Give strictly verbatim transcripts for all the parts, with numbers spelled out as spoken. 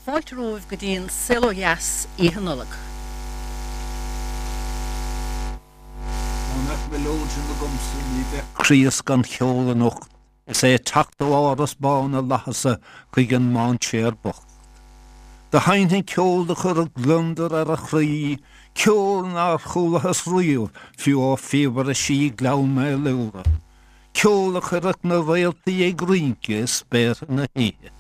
Fáilte romhaibh go dtí an Saol Ó Dheas Oíche Nollag. Dá mbeadh mileoidean agamsa ní bheadh Críost gan cheol anocht is é ag teacht ó Áras Bán na bhFlaitheas chuig an mainséar bocht. Do sheinnfinn ceol do chuirfeadh gliondar ar a chroí, ceol nár chualathas riamh fiú ó phíobaire sí Ghleann Maolúra, ceol a chuirfeadh na réaltaí ag rince i spéartha na hoíche.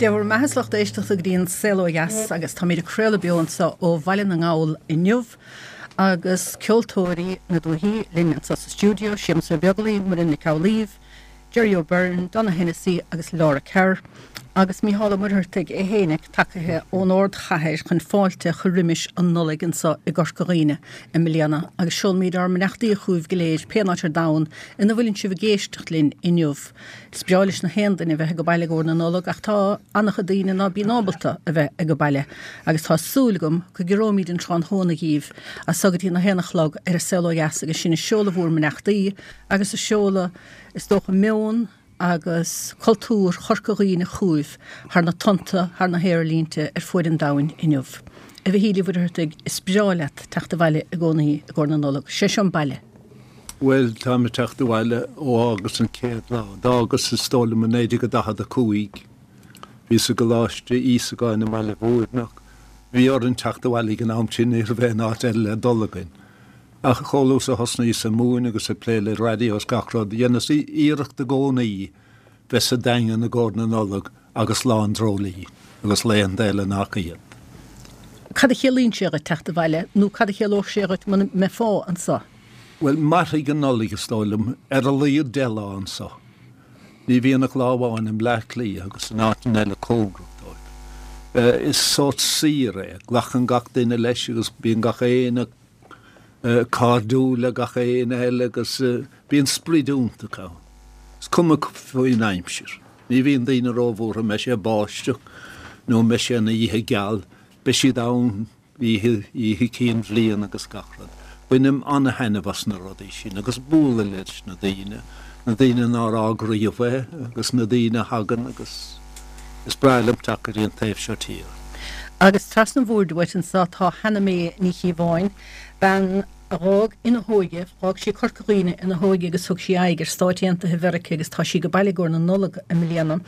Dé bhur mbeatha a lucht éisteachta go dtí an Saol Ó Dheas agus táimid ag craoladh beo anseo ó Bhaile na nGall inniu agus ceoltóirí na dúichí linn anseo sa stiúideo, Séamus Ó Beaglaoich, Muireann Nic Amhlaoibh, Jerry O'Byrne, Donogh Hennessy agus Laura Kerr, agus Mícheál Ó Muircheartaigh é fhéinig tagaithe ón ardchathair chun fáilte a chur roimis an Nollaig anseo i gCorca Dhuibhne i mbliana agus seolaimid ár mbeannachtaí chugaibh go léir pé áit ar domhan ina bhfuileann sibh ag éisteacht linn inniu. Is breá leis na haon duine bheith ag baile i gcomhair na Nollag ach tá an-chuid daoine ná bíonn ábalta a bheith ag baile agus tá súil agam go gciorróimid an tráthnóna dhíbh as so go dtí na haon a chlog ar an Saol Ó Dheas agus sinn ag seoladh bhur mbeannachtaí agus ag seoladh is dócha meon agus cultúr Chorca Dhuibhne chugaibh thar na tonnta thar na haerlínte ar fuaid an domhain inniu. A Mhichíl Uí Mhuircheartaigh is breá leat teacht abhaile i gcónaí i gcomhair na Nollag. Sé seo an baile. Bhuel tá mé ag teacht abhaile ó fhágas an chéad lá. D'fhágas is dóigh liom i naoi déag daichead a cúig. Bhíos i gColáiste Íosagáin i mBaile Bhúirneach. Bhí orainn teacht abhaile ag an am sin ní raibh aon áit eile le dul againn. Ach chomh luath is a thosnaíos ag múineadh agus ag plé le raidió is gach rud, dheineas iarracht i gcónaí bheith sa Daingean i gcomhair na Nollag agus Lá an Dreoilín agus laethanta eile nach iad. Cad a chiallaíonn sé dhuit teacht abhaile nó cad a chiallódh sé dhuit muna mbeifeá anseo? Bhuel, mairfidh an Nollaig is dóigh liom ar a laghad deich lá anseo. Ní bhíonn ach lá amháin i mBleá Cliath agus in áiteanna eile cóngarach dóibh. Is sórt saoire é, glacann gach duine leis agus bíonn gach éinne cairdiúil le gach éinne eile agus bíonn sprid iontach ann. Is cuma faoin aimsir. Ní bhíonn daoine róbhuartha mbeidh sé ag báisteach nó mbeidh sé ina oíche geal, beidh siad ann oíche oíche cinn bhliana agus gach rud. Bainim an-thaitneamh as na rudaí sin agus bualadh leis na daoine, na daoine nár fhág riamh é agus na daoine a thagann agus Is breá liom teacht go dtí an taobh seo tíre. Agus trasna an bhoird uait anseo tá Hannah May Ní Chíobháin, bean a dh'fhág ina hóige, dh'fhág sí Corca Dhuibhne ina hóige agus thug sí aghaidh ar Stáit Aontaithe Mheirice agus tá sí ag baile i gcomhair na Nollag i mbliana.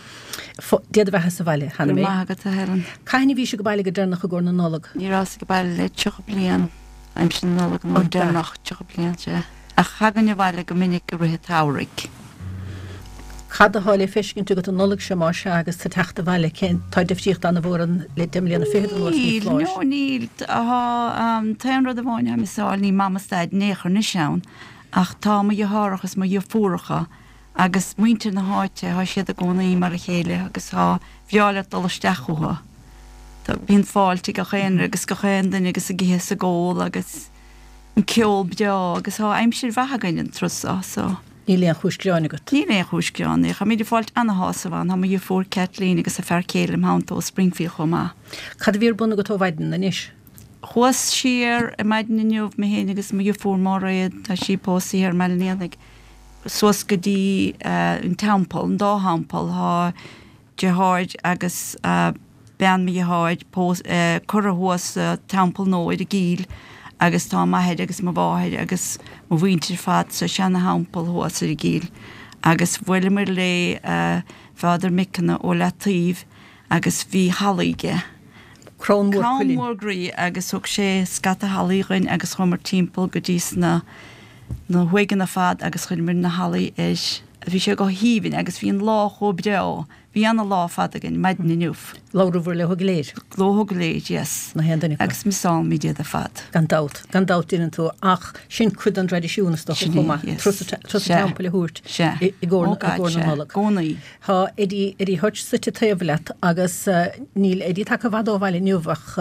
Dia do bheatha sa bhaile, Hannah Go May. raibh maith agat, a Helen. Cathain a bhís ag baile go deireanach i gcomhair na Nollag? Ní rabhas ag baile le tríocha bliain, aimsir na Nollag an uair deireanach, tríocha bliain, sea. Ach thagainn abhaile go minic i rith an tsamhraidh. Cad atá le feiscint agat an Nollaig seo más ea agus tú ag teacht abhaile? Cén, tá difríocht an-mhór ann le deich mbliana fichead anuas, ní Níl, foláir. no níl. Tá, an t-aon rud amháin atá miosáil, níl Mam is Daid in aon chor anois ann, ach tá mo dheartháireacha is mo dheirfiúracha agus muintir na háite, tá siad i gcónaí mar a chéile agus tá, bhreá leat dul isteach chucu. Tá, bíonn fáilte ag gach aon, agus gach aon duine agus ag ithe is ag ól agus an ceol breá agus tá aimsir mhaith againn an turas seo, so. Níl aon chúis gearáin agat? Níl aon chúis gearáin. Táimid ag fáilt ana-shásamh ann. Tá mo dheirfiúr Kathleen agus a fear céile im theannta ó Springfield chomh maith. Cad a bhí ar bun agat ó mhaidin anois? Chuas siar ar maidin inniu, mé féin agus mo dheirfiúr Máiréad, tá sí pósta thiar i mBaile an Éanaigh, suas go dtí an teampall, an dá theampall. Tá deartháir agus bean mo dheartháir curtha thuas sa Teampall Nua ar an gCill agus tá m'athair agus mo mháthair agus mo mhuintir ar fad sa seana-theampall thuas ar an gCill agus bhuaileamar le Father McKenna ó Leataoibh agus bhí hallaí aige. Crann mór Crann cuilinn. mór groí agus thug sé scata hallaí dhuinn agus chuamar timpeall go dtí sna na huaigheanna ar fad agus chuireamar na hallaí air. Bhí sé go haoibhinn agus bhí an lá chomh breá. Bhí ana lá fada againn maidin inniu. Labhraíobhair leo go léir? Leo go léir, yes. Na haon duine acu. Agus misálaimid iad ar fad. Gan dabht, gan dabht déanann tú, ach sin cuid den traidisiún is dócha Sin chomh é, maith, yes. turas an Sea. teampaill a thabhairt Sea. i gcomhair Oh God, na sea. Nollag. Gcónaí. Tá Eddie, Eddie Hutch suite taobh leat agus níl Eddie tagtha i bhfad ó bhaile inniu ach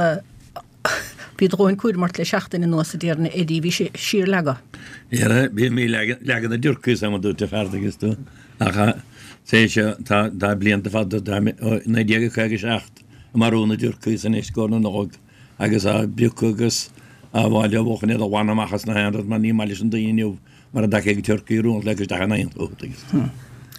bhí do dhóthain cúraim ort le seachtain anuas a déarfainn Eddie, bhí sé síorleagadh. Dhera, bhí mé ag leagan na dturcaí is am a dúirt a fear agus tú. Ach sé seo, tá tá blianta fada, tá ó naoi déag caoga seacht ag marú na dturcaí anois i gcomhair na Nollag agus á bpiocadh agus á bhfáil á bhuachan iad a ghlanadh amach as na haon rud mar ní maith leis an daoine inniu mar a dtaca ag turcaí rún le isteach in aon chugat agus.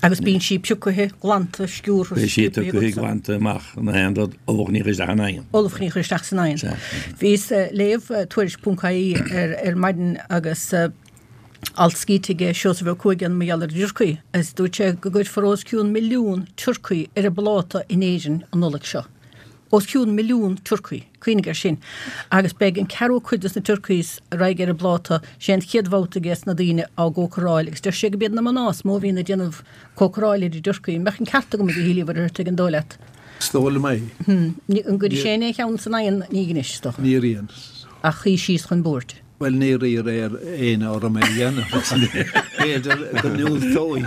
Agus bíonn sí pioctha, glanta, sciúrtha, Beidh sí sciobtha tugtha agatsa. glanta amach na haon rud, ubhach ní isteach in aon. Ubhach ní chur isteach san oigheann. Sea. Bhíos ag léamh tuairisc ponc ie ar ar maidin agus alt scríte aige Seosamh Ó Cuaig ann mar gheall ar an dturcaí agus dúirt sé go gcuirfear os cionn milliún turcaí ar an bpláta in Éirinn an Nollaig seo. Os cionn milliún turcaí. Cuimhnigh air sin. Agus beidh an ceathrú cuid des na turcaís a raghaidh ar an bpláta, sé an chéad bhabhta ages na daoine á gcócaráil agus deir sé go b'iad na mná is mó a bhíonn ag déanamh cócaráil ar an dturcaí. An mbeadh an ceart agam a Mhichíl Uí Mhuircheartaigh an dóigh leat? Is dóigh liom é. An gcuirfidh sé aon cheann san oigheann? Ní anois, is dócha. Ní rian. Ach shuí síos chun boird. Bhuel, níor iarr ar éinne orm é a dhéanamh. B'fhéidir go ndiúltóinn.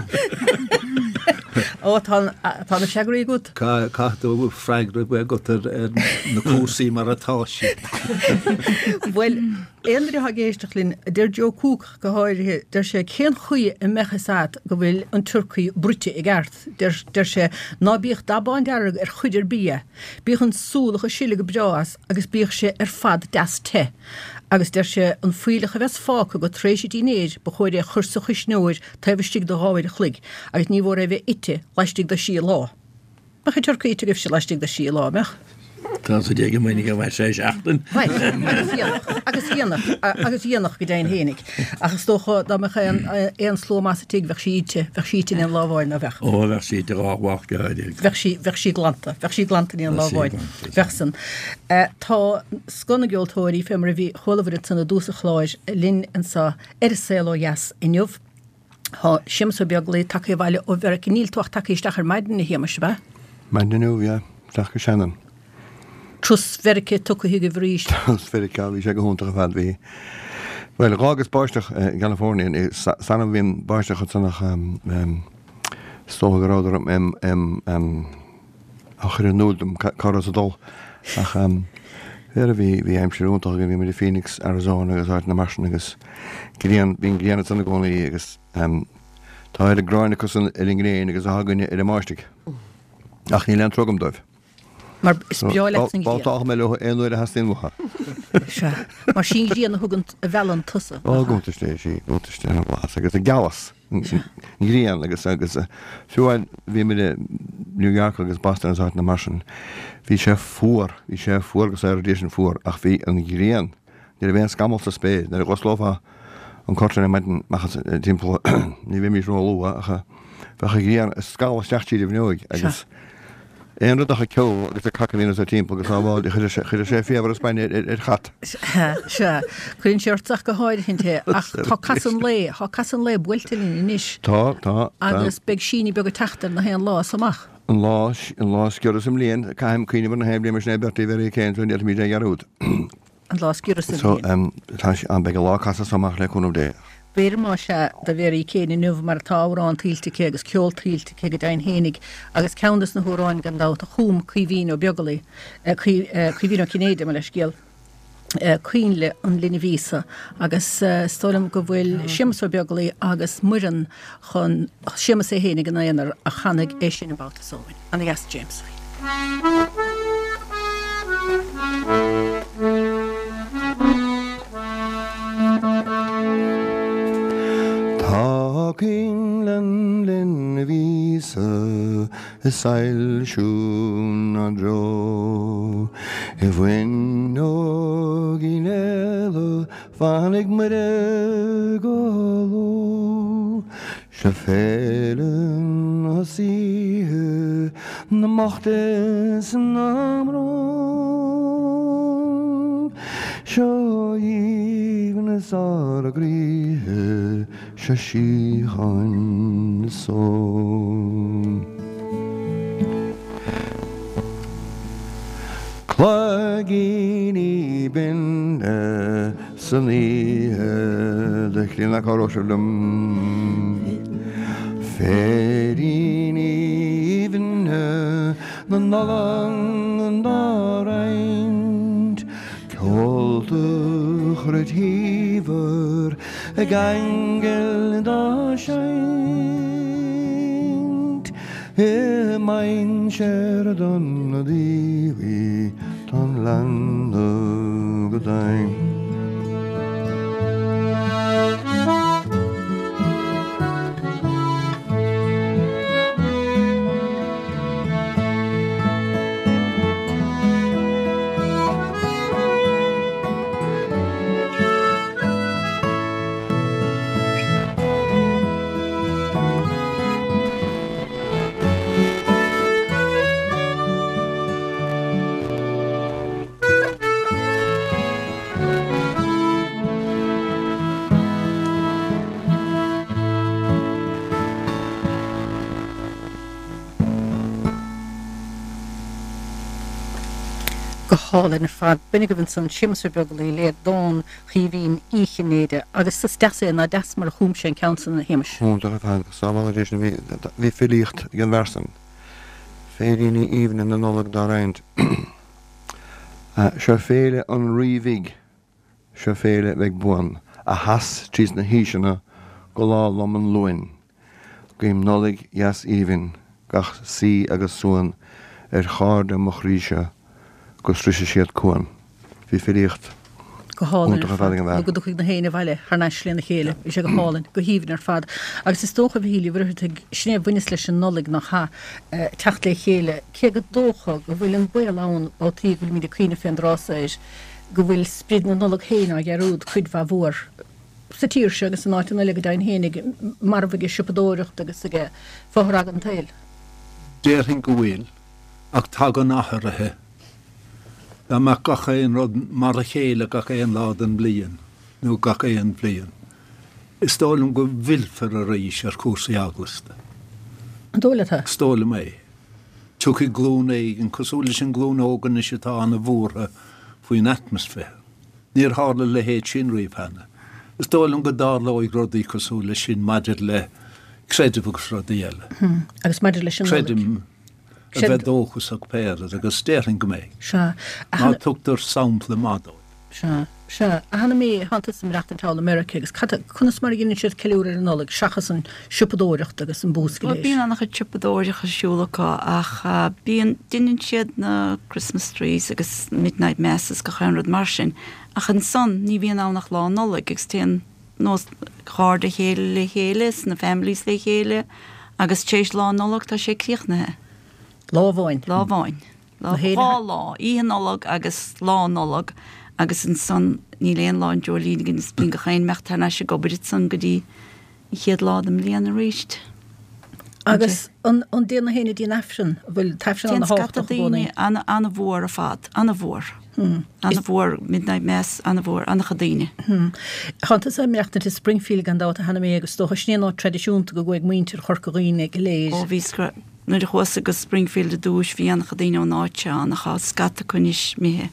Ó, tá tá na freagraí agat. Caithfidh tú freagra a bheith agat ar ar na cúrsaí mar atá siad. Bhuel, aon duine atá ag éisteacht linn, deir Joe Cooke go háirithe, deir sé, cén chaoi a mbeadh fhios agat go bhfuil an turcaí bruite i gceart? Deir, deir sé, ná bíodh dath bándearg ar chuid ar bith dhe. Bíodh an súlach ag sileadh go breá as agus bíodh sé ar fad deas te. Agus deir sé, an fuílleach a bheas fágtha agat tar éis an dinnéir, ba chóir é a chur sa chuisneoir taobh istigh de dhá uair a chloig, agus ní mhór é a bheith ite laistigh de thrí lá. Mbeadh an turcaí ite agaibhse laistigh de thrí lá, mbeadh? Tá sa déag amuigh go mbeidh sé seachtain. Bhuel, agus dhéanfadh, agus dhéanfadh, agus dhéanfadh go deimhin fhéinig. Ach is dócha dá mbeadh aon, aon slua maith sa tigh, bheadh sí ite, bheadh sí ite in aon lá amháin, ná bheadh? Ó, bheadh sí ite dhá mhac go háirithe. Bheadh sí, bheadh sí glanta, bheadh sí glanta in aon lá Bheadh sí amháin. glanta. Bheadh san. Tá scoth na gceoltóirí, fé mar a bhí, chualabhair ansan i dtús an chláir, linn anso ar An Saol Ó Dheas inniu. Tá Séamus Ó Beaglaoich tagtha abhaile ó Mheiriceá. Níl tú ach tagtha isteach ar maidin, a Shéamais, ab ea? Maidin inniu, yeah. Isteach go Shannon. Turas Mheiriceá tugtha agaibh arís. Turas Mheiriceá, bhí sé go hiontach ar fad. Bhí, bhuel, dh'fhágas báisteach i gCalifornia, san am bhí an báisteach ansan ach is dócha go rabhadar á chur in iúl dom cá rabhas ag dul. Ach bhí, bhí, bhí aimsir iontach againn, bhí muid i Phoenix, Arizona agus áiteanna mar sin agus grian, bíonn grian ansan i gcónaí agus tá oiread gráin acusan ar an ngréin agus atá againne ar an mbáisteach. Ach níl aon trua agam dóibh. Mar is breá leat an ghrian. Babhtáilfidh mé leo aon uair a theastaíonn uathu. Sea. Mar sí an ghrian a thugann, a mheallann tusa. Ó, go buntáiste é, sí, buntáiste an bhlas agus an gealas. An ghrian agus agus fiú amháin bhí muid i New York agus Boston agus áiteanna mar sin, bhí sé fuar, bhí sé fuar agus ar dtí sin fuar ach bhí an ghrian, ní raibh aon scamall sa spéir, nuair a dh'osclófá an curtain ar maidin amach as timpeall, ní bheimis ró-luath ach bheadh an ghrian ag scalladh isteach tríd an bhfuinneoig agus Aon rud ach an ceo agus an cac a bhíonn anso timpeall agus sábháil, chuireadh sé faobhar is bainne ar chat. Sea, sea. Cuireann sé ort ach go háirithint é. Ach tá casadh an lae, tá casadh an lae buailte linn anois. Tá, tá, tá. Agus beidh síneadh beag ag teacht ar na haon lá as amach. An lá, an lá is giorra sa mbliain, caithim cuimhneamh ar na haon bhliain mar sin é Bertie Mhary Kane, so ní fhéadfaimid é a dhearúd. An lá is giorra sa So, mbliain. tá sé, beidh an lá casadh so amach le cúnamh Dé. B'fhéidir más ea do Mhary Kane inniu mar tá amhráin tuillte aici agus ceol tuillte aici go deimhin fhéinig agus ceann des na hamhráin gan dabht a chum Caoimhín Ó Beaglaoi, Caoimhín Ó Cinnéide, mo leithscéal, Coinnle an Linbh Íosa agus is dóigh liom go bhfuil Séamus Ó Beaglaoi agus Muireann chun, Séamus é fhéinig ina aonar a chanfaidh é sin an babhta so dhúinn. Ana dheas James. Tá coinnle an linbh Íosa ag soilsiú 'nár dtreo I bhfuinneoigín eile fanfaidh Muire go ló. Seo féile na saoithe, na mbocht is na mbrón. Seo aoibhneas ár gcroíthe, seo síocháin is só. Cloigíní binne san oíche do chríonna cabhróidh sibh liom. Féiríní aoibhne na Nollag dá roinnt, ceolta chruit shaibhir ag aingil dá seinnt. I mainséar donna diabhail tá an leanbh go deimhin. Go hálainn ar fad. B'in agaibh ansan Séamus Ó Beaglaoi le dán Chaoimhín Uí Chinnéide. Agus is deas é, nach deas mar a chum sé an ceann san, a Shéamais? Iontach ar fad. Sábhála Dé sinn. Bhí, bhí filíocht ag an bhfear san. Féiríní aoibhne na Nollag dá roinnt. Seo féile an Rí Bhig, seo féile bheidh buan, a sheas tríd na haoiseanna go lá lom an Luain. Guím Nollaig dheas aoibhinn, gach saoi agus suan ar chairde mo chroí-se go sroise siad cuan. Bhí filíocht Go hálainn iontach ar ar fad fad. ag an Nó bhfear. go dtiocfaidh na héin abhaile thar n-ais lena chéile. Bhí sé go hálainn, go haoibhinn ar fad. Agus is dócha, a Mhichíl Uí Mhuircheartaigh, sin é a bhaineas leis an Nollaig nach ea, teacht le chéile, cé go dócha go bhfuil an baol ann ó taobh go bhfuilimid ag cuimhneamh fén dtráth so air, go bhfuil sprid na Nollag féin á dhearúd cuid mhaith mhór sa tír seo agus in áiteanna eile go deimhin féinig, marbh ag siopadóireacht agus ag fothragadh an tsaoil. Déarfainn go bhfuil, ach tagann athruithe. Dá mbeadh gach aon rud mar a chéile gach aon lá den bhliain, nó gach aon bhliain, is dóigh liom go bhfillfear arís ar chúrsaí eaglasta. An dóigh leat é? Is dóigh liom é. Tiocfaidh glúin éigin, cosúil leis an nglúin óg anois atá ana-bhuartha faoin atmaisféar. Níor tharla a leithéid sin riamh cheana. Is dóigh liom go dtarlóidh rudaí cosúil leis sin maidir le creideamh agus rudaí eile. Agus maidir leis an Nollaig. Creidim a bheith dóchasach pé ar bith agus déarfainn go mbeidh. Sea. Má tugtar sampla maith dóibh. Sea, sea. A Hanna-May, thánn tusa ag maireachtaint thall i Meiriceá agus cad, conas mar a dheineann siad ceiliúradh ar an Nollaig seachas an siopadóireacht agus an bús go Bhuel, léir? bíonn an-chuid siopadóireacht ar siúl acu ach bíonn, deineann siad na Christmas trees agus midnight masses gach aon rud mar sin ach ansan ní bhíonn ann ach Lá Nollag agus téann nós cairde chéile le chéile, is na families le chéile, agus tar éis Lá Nollag tá sé críochnaithe. Lá amháin. Lá amháin. Lá Na héine- dhá lá, Oíche Nollag agus Lá Nollag agus ansan níl aon lá an dreoilín againn is bíonn gach aon imeacht thar n-ais ag obair ansan go dtí an chéad lá den mbliain arís. Agus an an dtéann na héinne dtí an Aifreann, an bhfuil an tAifreann Téann ana scata thábhachtach i gcónaí. daoine ana ana-mhór ar fad, ana-mhór. Ana-mhór midnight mass, ana-mhór, ana-chuid daoine. Tá tusa ag maireachtaint i Springfield gan dabht a Hannah-Mae agus is dócha sin é an áit traidisiúnta go gcuaigh muintir Chorca Dhuibhne go léir. Ó bhí scra- nuair a chuas go Springfield ar dtús bhí ana-chuid daoine ón áit seo ann ach tá scata acu anois imithe.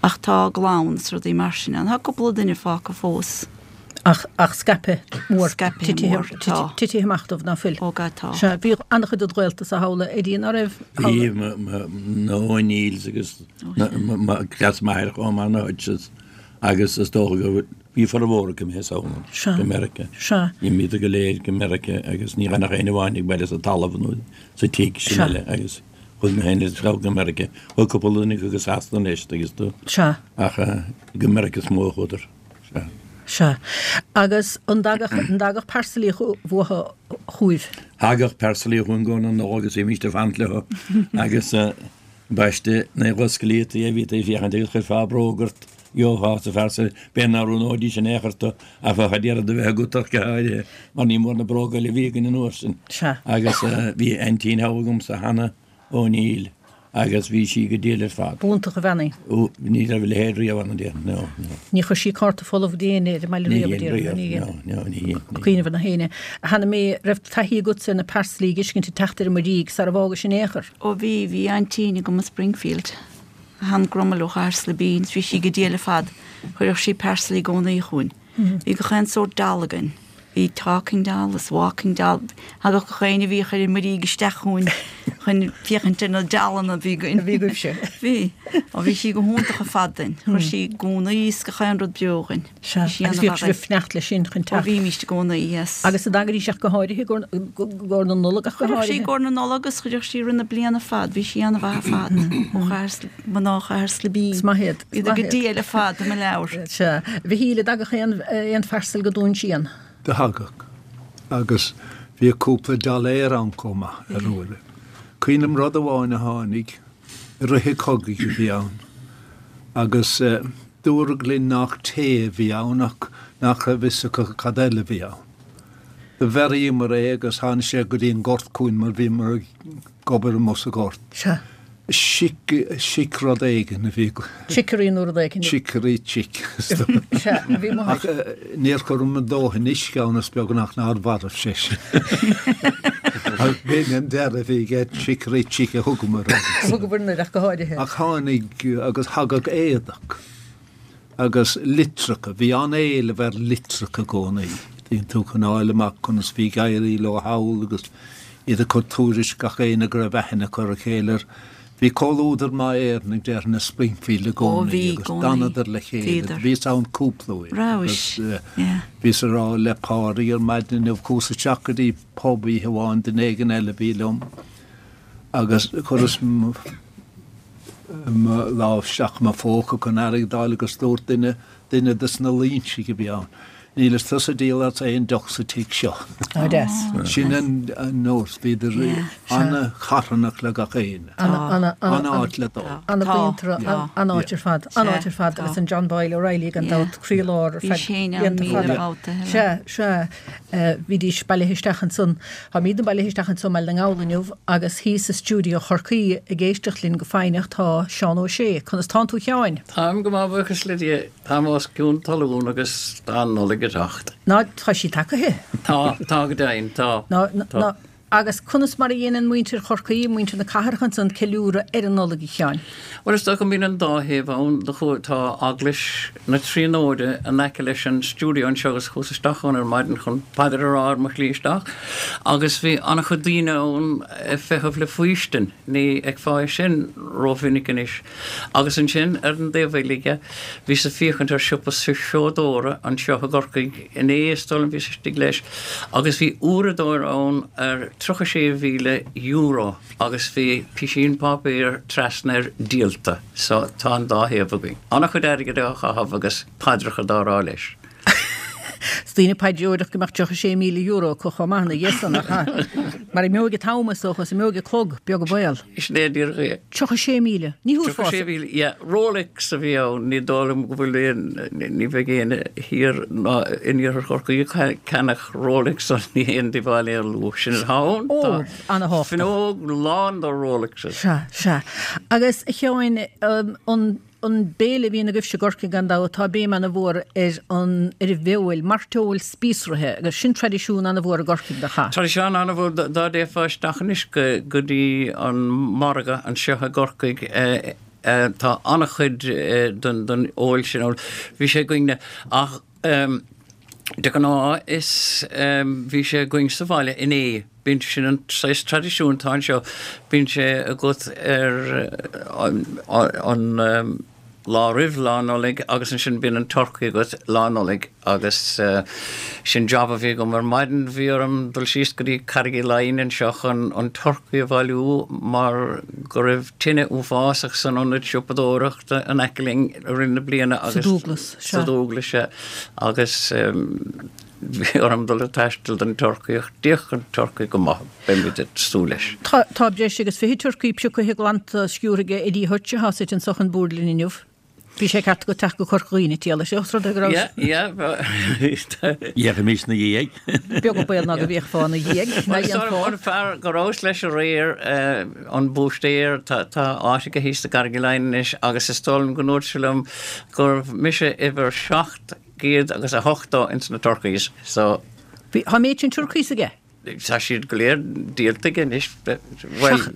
Ach tá glann is rudaí mar sin ann. Tá cúpla duine fágtha fós. Ach ach scaipthe mór Scaipthe mór, tá. titithe amach dóibh ná fuil. Ó ga tá. Sea, bhí an-chuid de ghaolta sa halla Eddie ná raibh? Bhí na O'Neills agus cleas m'athar chomh maith na Hutches agus is dócha go bhí formhór acu imithe ann Sea. go Meiriceá. Sea. Imíodar go léir go Meiriceá agus ní raibh ach éinne amháin ag baile sa talamh nó sa tigh sin Sea. eile agus chuaigh na héinne isteach go Meiriceá. Chuaigh cúpla duine go Sasana anois agus tú Sea. ach go Meiriceá is mó a chuadar. Sea. Sea. Agus an dtagadh an dtagadh parsailí uathu chugaibh. Thagadh parsailí chugainn i gcomhair na Nollag agus bhímist ag fanacht leo agus baiste na dhoscailíotaí a bhí ag féachaint agus chuirfeá bróg ort gheofá sa pharcel b'fhéidir nach roghnóidís in aon chor tú ach bheadh ag iarraidh a bheith agat ach go háirithe mar ní mór na bróga eile a bhí againn an uair sin. Sea. Agus bhí aintín thall agamsa Hannah O'Neill agus bhí sí go diail ar fad. B'iontach an bhean í. Ó, ní raibh a leithéid riamh ann, no, no. Ní chuir sí cárta folamh go dtí éinne ar an mbaile Ní riamh, dhein a riamh, déarfainn, ní dhein. no, no, ní dhein, ní Cuimhneamh ar na héinne. Hannah-Mae, raibh taithí agatsa ar na parsailí ag fheiscint ag teacht ar an Muirígh sara bhfágais in aon chor. Ó bhí bhí aintín agam i Springfield. Han Grummel ó Chairslebín, bhí sí go diail ar fad, chuireadh sí parsailí i gcónaí chugainn. Bhí gach aon sórt doll againn. Bhí talking doll is walking doll. Thagadh gach éinne a bhíodh ar an Muirígh isteach chugainn chun féachaint ar na dollanna a bhí againn. Bhí agaibhse. Bhí. Ó bhí sí go hiontach ar fad duinn. Chuir sí gúnaí is gach aon rud beo chugainn. Sea, Bhí sí agus bhíodh an-mhaith. sibh ag fanacht leis sin chun Ó teacht. bhímist i gcónaí, yes. Agus an dtagaidís ach go háirithe i gcomhair na Nollag ach go Chuireadh sí háirithe. i gcomhair na Nollag agus chuireadh sí rith na bliana fad, bhí sí an-mhaith ar fad. Ó Chathair mná Chathair Slibín. Is maith iad, is Bhí maith go iad. diail ar fad i mo leabhar. Sea, Mhichíl an dtagadh aon aon pharcel go Dún Síon. Do thagadh. Agus bhí cúpla dolléir ann chomh maith ar uaire. Cuimhním rud amháin a tháinig i rith an chogaidh a bhí ann. Agus eh, dúradh linn nach tae a bhí ann ach nach raibh fhios acu cad eile a bhí ann. Do bhearraíomar é agus tháinig sé go dtí an gort chugainn mar bhíomar ag obair amuigh sa ghort. Sea. Chic chic rud éigin a bhí Chicory nó rud éigin. Chicory chick. Sea, bhí mo Ach eh, níor chuireamar dóthain uisce ann is beagnach nár mhairbh sé sin. Ach b'in an deireadh a bhí aige chicory chick a thugamar air. Thugamar ach go háirithe. Ach tháinig agus thagadh éadach agus litreacha, bhí an-éileamh ar litreacha i gcónaí. Bhíonn tú chun fháil amach conas bhí ag éirí leo thall agus iad ag cur tuairisc gach éinne go raibh aithne acu ar a chéile. Bhí comhluadar maith Éireannaigh déarfainn i Springfield i Ó, gcónaí bhí i agus gcónaí. d'fhanadar le chéile. Bhíodar. Bhíos ann cúpla uair. Rabhais, Agus, eh, yeah. Bhíos ag rá le Pádraig ar maidin inniu chuas isteach go dtí pub oíche amháin duine éigin eile a bhí liom agus chuireas mo mo lámh isteach i mo phóca chun airgead a fháil agus dúirt duine duine des na Loingsigh a bhí ann. Níl is tusa ag díol as aon deoch sa tigh seo. Á deas. Sin an an nós, bhíodar Yeah. an-charthanach le gach éinne. Ana ana ana An-áit le dul. Ana Tá, bhaintra tá. an-áit ar fad, an-áit ar fad Tá. agus an John Boyle O'Reilly gan Yeah. dabht croílár ar Bhí feadh sé ann blianta míle fada. babhta, Helen. Sea, sea, eh, bhídís bailithe isteach ansan. Táimid bailithe isteach anso i mBaile na nGall inniu agus thíos i stiúideo Chorcaí ag éisteacht linn go foighneach tá Seán Ó Sé. Conas tánn tú a Sheáin? Táim go maith buíochas le Dia, táim os cionn talún agus tá an Nollaig ag teacht. Ná tá sí tagaithe. Tá tá go deimhin tá. Ná, ná, Tá. ná, agus conas mar a dhéanann muintir Chorcaí, muintir na cathrach ansan ceiliúradh ar an Nollaig a Sheáin. Well is dócha go mbíonn an dá thaobh ann do chu tá Eaglais na Tríonóide in aice leis an stiúideo anseo agus chuas isteach ann ar maidin chun paidir a rá ar mo shlí isteach, agus bhí an-chuid daoine ann ag feitheamh le faoistin, ní fheicfeá sin rómhinic anois. Agus ansin ar an dtaobh eile bhíos ag féachaint ar siopa seodóra anseo i gCorcaigh inné is dóigh liom bhíos istigh leis, agus bhí uaireadóir ann ar tríocha sé mhíle euro agus bhí písín páipéir trasna air díolta, so tá an dá thaobh againn. An-chuid airgid á chaitheamh agus paidreacha á rá leis. Is daoine paidreoireacht go mbeadh tríocha sé míle euro acu chomh maith ina dhiaidh san, nach ea? Mar imeoidh an t-am is dócha, is imeoidh an clog, beag an baol. Sin é díreach é. Tríocha sé míle. Ní thabharfá. Tríocha sé míle, yeah. Rolex a bhí ann, ní dóigh liom go bhfuil aon, ní bheidh éinne thiar ná in iarthar Chorcaí ag ceannach Rolex so ní haon díobháil é a lua. Sin atá ann. Ó, Tá ana-thábhachtach. fuinneog lán de Rolexes. Sea, sea. Agus a Sheáin, an An béile a bhíonn agaibhse i gCorcaigh gan dabht, tá béim ana-mhór ar an ar an bhfeoil, mairteoil spíosraithe, agus sin traidisiún ana-mhór i gCorcaigh, nach ea? Traidisiún ana-mhór, dá dtéifeá isteach anois go go dtí an margadh anseo i gCorcaigh, tá an-chuid den den fheoil sin ann. Bhí sé againne ach de ghnáth is bhí sé againn sa bhaile inné. Bíonn sin an saghas traidisiún atá anseo, bíonn sé agat ar an lá roimh Lá Nollag agus ansin bíonn an turcaí agat Lá Nollag agus sin job a bhí agam ar maidin, bhí orm dul síos go dtí Carraig Uí Leighin anseo chun an turcaí a bhailiú mar go raibh tine uafásach san ionad siopadóireachta in aice linn i rith na bliana agus Sa Dúglas, sea. Sa Dúglas, sea. Agus Bhí orm dul ag taisteal don turcaí ach d'fhéach an turcaí go maith, beimid ag súil leis. Tá tá breis agus fiche turcaí pioctha glanta sciúrtha ag Eddie Hutch atá suite anso chun boird linn inniu. Bhí sé ceart agat teacht go Corca Dhuibhne, a Shéamais, os rud é go raibh. Yeah, yeah. D'fhéachfaimis ina dhiaidh. Beag an baol ná go bhféachfá ina dhiaidh, ná dhéanfá. An fear go rabhas leis aréir, an búistéir, tá áit aige thíos i gCarraig Uí Leighin anois agus is dóigh liom go ndúirt sé liom gurbh mise uimhir seacht gcéad agus a hochtó ins na turkeys so. Bhí, tá an méid sin turkeys aige? Tá siad go léir díolta aige anois, bhuel,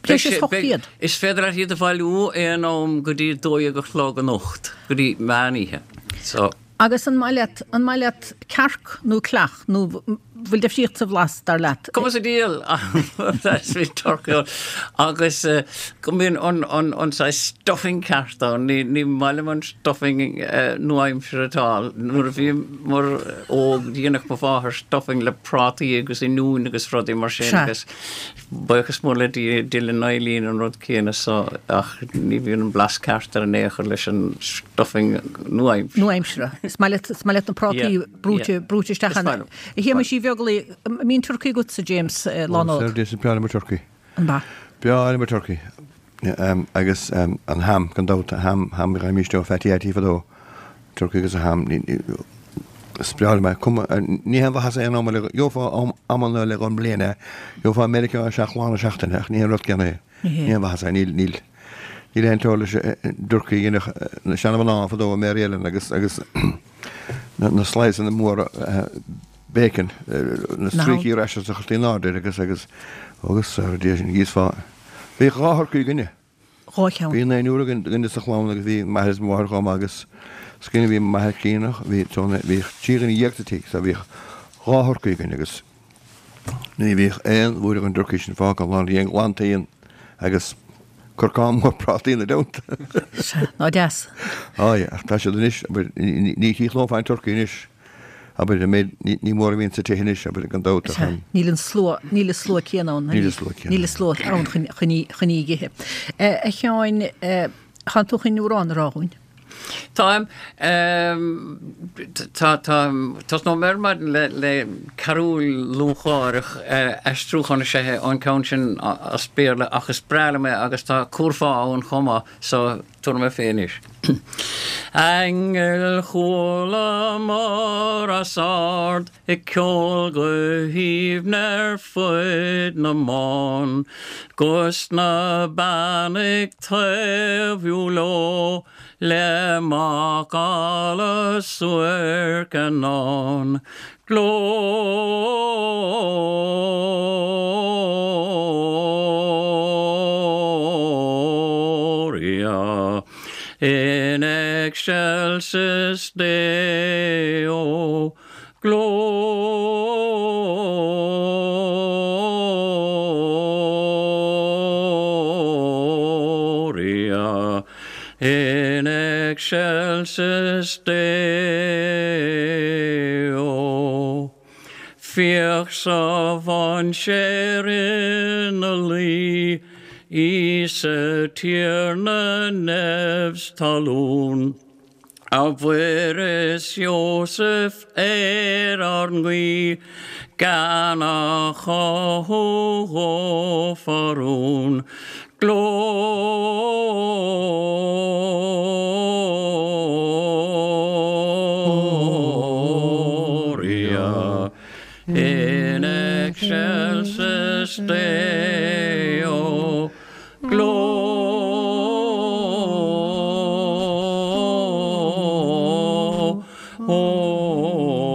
Breis is ocht gcéad. Is féidir leat iad a bhailiú aon am go dtí dó dhéag a chlog anocht, go dtí meán oíche, so. Agus an maith leat, an maith leat cearc nó creach nó bhfuil difríocht sa bhlas, dar leat? Cuma sa diabhal bhí turcaí ann agus go mbíonn an an an saghas stuffing ceart ann, ní ní maith liom an stuffing nua-aimseartha atá ann. Nuair a bhíomar óg dhéanadh mo mháthair stuffing le prátaí agus oinniúin agus rudaí mar sin agus buíochas mór le Dia deineann Eileen an rud céanna so ach ní bhíonn an blas ceart air in aon chor leis an stuffing nua-aimseartha. Nua-aimseartha. Is maith leat is maith leat na prátaí brúite brúite isteach ann. A Shéamais Uí Bheaglaoich, an mbíonn turcaí agatsa, James, Lá Nollag? Is breá liom an turcaí. An ea? Breá liom an turcaí. Agus an ham, gan dabht, ham, ham, gheibhimís ó Phatty Attie fadó, turcaí agus an ham. Is breá liom é. Cuma, ní haon mhaitheas aon am eile, gheofá amanna eile den mbliain é, gheofá i Meiriceá é seacht lá na seachtaine, ach ní haon rud céanna é. Ní haon mhaitheas é, níl, níl, níl aon teora leis an dturcaí a dhéanadh na seanamhná fadó i Mary Ellen agus, agus na sliceanna móra bacon, na stríocaí rashers a chuirtí in airde air agus, agus, agus, ar Dia sin, d'íosfá. Bhíodh dhá thurcaí againne. Dhá cheann. Bhí naonúr againn againne sa chlann agus bhí m'athair is mo mháthair chomh maith agus is cuimhin bhí m'athair críonna, bhí, bhí trí dhuine dhéag sa tigh so bhíodh dhá thurcaí againn agus ní bhíodh aon bhuaidreamh den dturcaí sin fágtha an lá bhí an glanta íon agus corcán mór prátaí ina dteannta. Sea, ná deas. Á, ach tá siad anois, abair, ní chíochnófá an turcaí anois, abair, an méid, ní mór a bhíonn sa tithe anois, abair, gan dabht ach Sea, an. níl an slua, níl an slua céanna ann, Níl an slua céanna níl an slua ann chun, chun í, chun í a ithe. A Sheáin, tánn tú chun amhrán a rá dhúinn? Táim. Tá, táim, tosnóidh mé ar maidin le, le carúl lúcháireach, aistriúchán is ea é an ceann sin as Béarla ach is breá liom é agus tá curfá ann chomh maith so tabharfaidh mé fé anois. Aingil chualamar os ard ag ceol go haoibhinn ar fuid na mbán, 'Gus na beanna ag taobhú leo le macalla suairc anonn. Gloria in excelsis Deo. Gloria in excelsis Deo. Féach sa mhainséar ina luí, Íosa Tiarna neamh 's talún. A Mhuire 's Iósaf ar ár nguí gan a chothú fá rún. Gloria in excelsis Deo.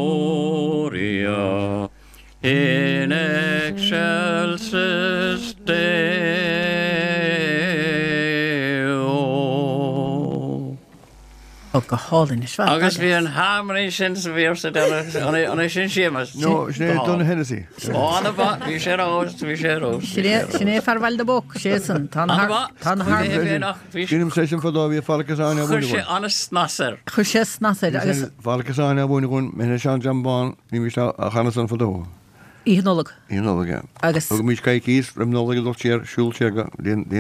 Gloria in excelsis Deo. Ó go hálainn is Agus bhí an harmony sin sa véarsa an é sin Séamus. No, sin é Donogh Hennessy. Ó an bhí sé rós bhí sé rós. Sin é fear Bhaile na bPoc, sé san Tá Bhí sé sin fadó bhí Father Cassani Chuir sé an-snas air. Chuir sé snas air agus Father Cassani a bhuaine mé Seán Jambán ní bhí sé a chanadh san fadó. Oíche Nollag. Oíche Nollag, ja. Agus Thug muid coicís roimh Nollaig a dul siar siúl siar go dtí an dtí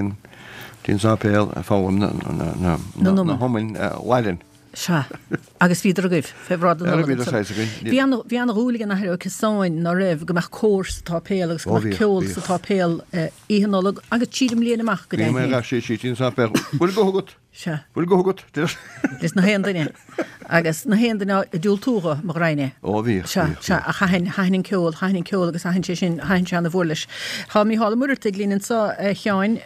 an sáipéal a foghlaim na na Na na hiomainn Laidin. Sea, agus bhíodar agaibh fé bhráid na Ara Nollag bhíodar ansan. saghas againn. Bhí an bhí an-dhúil ag an Athair Ó Casáin ná raibh go mbeadh cór sa tsáipéal agus go Ó mbeadh bhíodh, ceol bhíodh. sa tsáipéal Oíche Nollag agus tríd an mbliain amach go Bhí mé deimhin. gach sé sí an sáipéal. Bhfuil guth agat? Sea. Bhfuil guth agat? Leis na haon duine. Agus na haon duine a diúltódh mo ghrainne. Ó bhíodh, Sea, bhíodh, sea, ach thaitin thaitin an ceol, thaitin an ceol agus thaitin sé sin, thaitin sé ana mhór leis. Tá Mícheál Ó Muircheartaigh linn anseo a Sheáin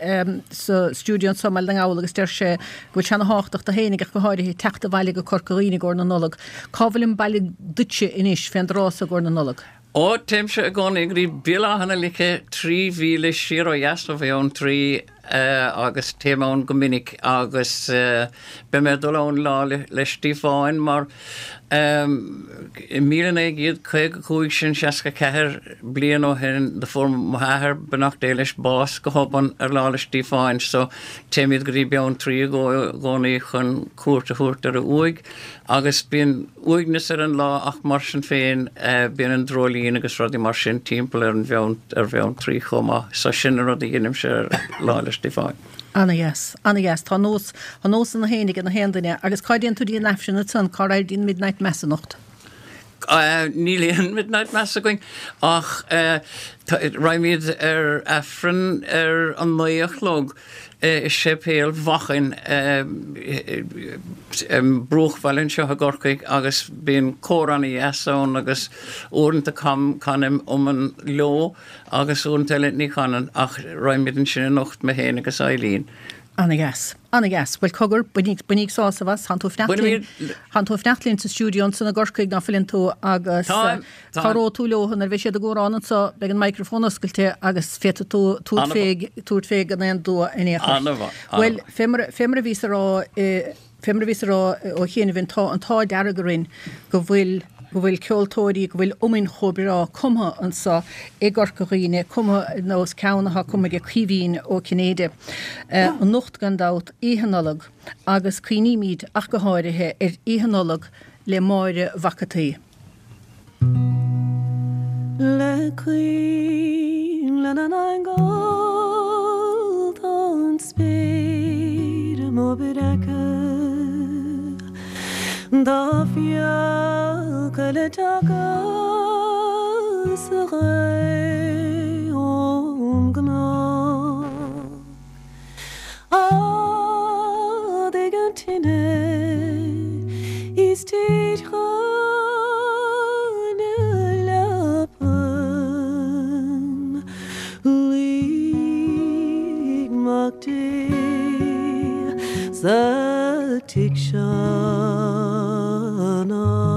sa stiúideo anseo i mBaile na nGall agus deir sé go bhfuil sé ana thábhachtach do fhéinig ach go háirithe teacht abhaile go Corca Dhuibhne i gcomhair na Nollag. Cá bhfuil an baile duitse anois fén dtráth so i gcomhair na Nollag? Ó téimse i gcónaí go dtí Béal Átha na Lice trí mhíle siar ó dheas ó Bheanntraí agus téim ann go minic agus beidh mé ag dul ann lá le Stíofáin mar i míle naoi gcéad caoga cúig sin seasca ceathair bliain ó shin do fuair mo athair beannacht Dé leis bás go hobann ar lá le Stíofáin so téimid go dtí Beanntraí i gcónaí chun cuairt a thabhairt ar a uaigh agus bíonn uaigneas ar an lá ach mar sin féin bíonn an dreoilín agus rudaí mar sin timpeall ar an bheann ar Bheanntraí chomh maith so sin an rud a dhéanaimse ar lá le Stíofáin. Ana-dheas, ana-dheas, tá nós tá nós ina fhéinig ag na haon duine agus cá dtéann tú dtí an Aifreann ansan cá raghair dtí an Midnight Mass anocht. Níl aon Midnight Mass againn ach raghaimid ar Aifreann ar an naoi a chlog i séipéal Mhachain bruachbhaile anseo i gCorcaigh agus bíonn cór ana-dheas ann agus uaireanta canaim iomann leo agus uaireanta eile ní chanann ach raghaimid ansin anocht mé féin agus Eileen. Ana-dheas, ana-dheas. Bhuel cogar, bainíg sásamh as, tánn tú ag fanacht linn, tánn tú ag fanacht linn sa stiúideo ansan i gCorcaigh ná fuileann tú agus cabhróidh tú leo nuair a bheidh siad ag amhrán anso, beidh an microphone oscailte agus féadfaidh tú tabhairt fé, tabhairt fé gan aon dua in aon chor. Ana-mhaith, Bhuel, fé mar, fé mar a bhíos a rá, fé mar a bhíos a rá ó chianaibh, tá an t-ádh dearg orainn go bhfuil, go bhfuil ceoltóirí, go bhfuil iomainn chomh breá cumtha anso i gCorca Dhuibhne, cumtha ar nós ceann atá cumtha ag Caoimhín Ó Cinnéide. Anocht gan dabht, Oíche Nollag, agus cuimhnímid ach go háirithe ar Oíche Nollag le Máire Mhac a' tSaoi. Le coinnle na n-aingeal tá an spéir i mo breacadh Tá fiacha le teacht sa ghaoth ón gcnoc Ardaigh an tine is téid chun na leapan Luigh Mac Dé sa tigh seo anocht.